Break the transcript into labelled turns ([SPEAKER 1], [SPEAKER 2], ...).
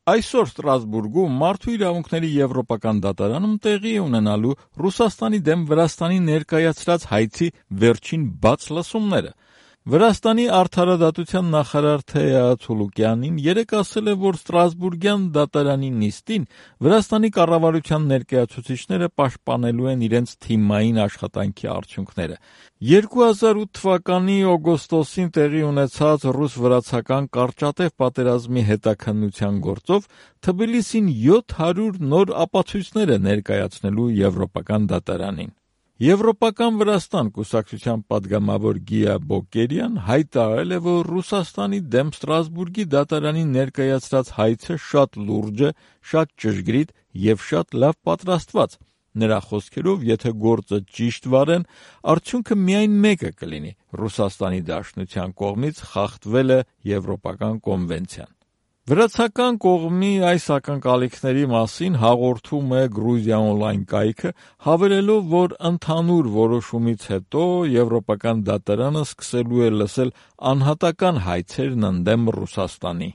[SPEAKER 1] Այսօր Ստրասբուրգում Մարդու իրավունքների եվրոպական դատարանում տեղի է ունենալու Ռուսաստանի դեմ Վրաստանի ներկայացրած հայցի վերջին բաց լսումները։ Վրաստանի արդարադատության նախարար Թեա Ցուլուկյանին երեկ ասել է, որ Ստրասբուրգյան դատարանի նիստին Վրաստանի կառավարության ներկայացուցիչները պաշտպանելու են իրենց թիմային աշխատանքի արդյունքները։ 2008 թվականի օգոստոսին տեղի ունեցած ռուս-վրացական կարճատև պատերազմի հետաքննության գործով Թբիլիսին 700 նոր ապացույցներ է ներկայացնելու Եվրոպական դատարանին։ Եվրոպական Վրաստան կուսակցության պատգամավոր Գիա Բոկերյան հայտարարել է, որ Ռուսաստանի դեմ Ստրասբուրգի դատարանին ներկայացրած հայցը շատ լուրջ է, շատ ճշգրիտ և շատ լավ պատրաստված։ Նրա խոսքերով, եթե գործը ճիշտ վարեն, արդյունքը միայն մեկը կլինի՝ Ռուսաստանի Դաշնության կողմից խախտվել է Եվրոպական կոնվենցիան։ Վրացական կողմի այս ակնկալիքների մասին հաղորդում է Գրուզիա օնլայն կայքը, հավելելով, որ ընդհանուր որոշումից հետո Եվրոպական դատարանը սկսելու է լսել անհատական հայցերն ընդդեմ Ռուսաստանի։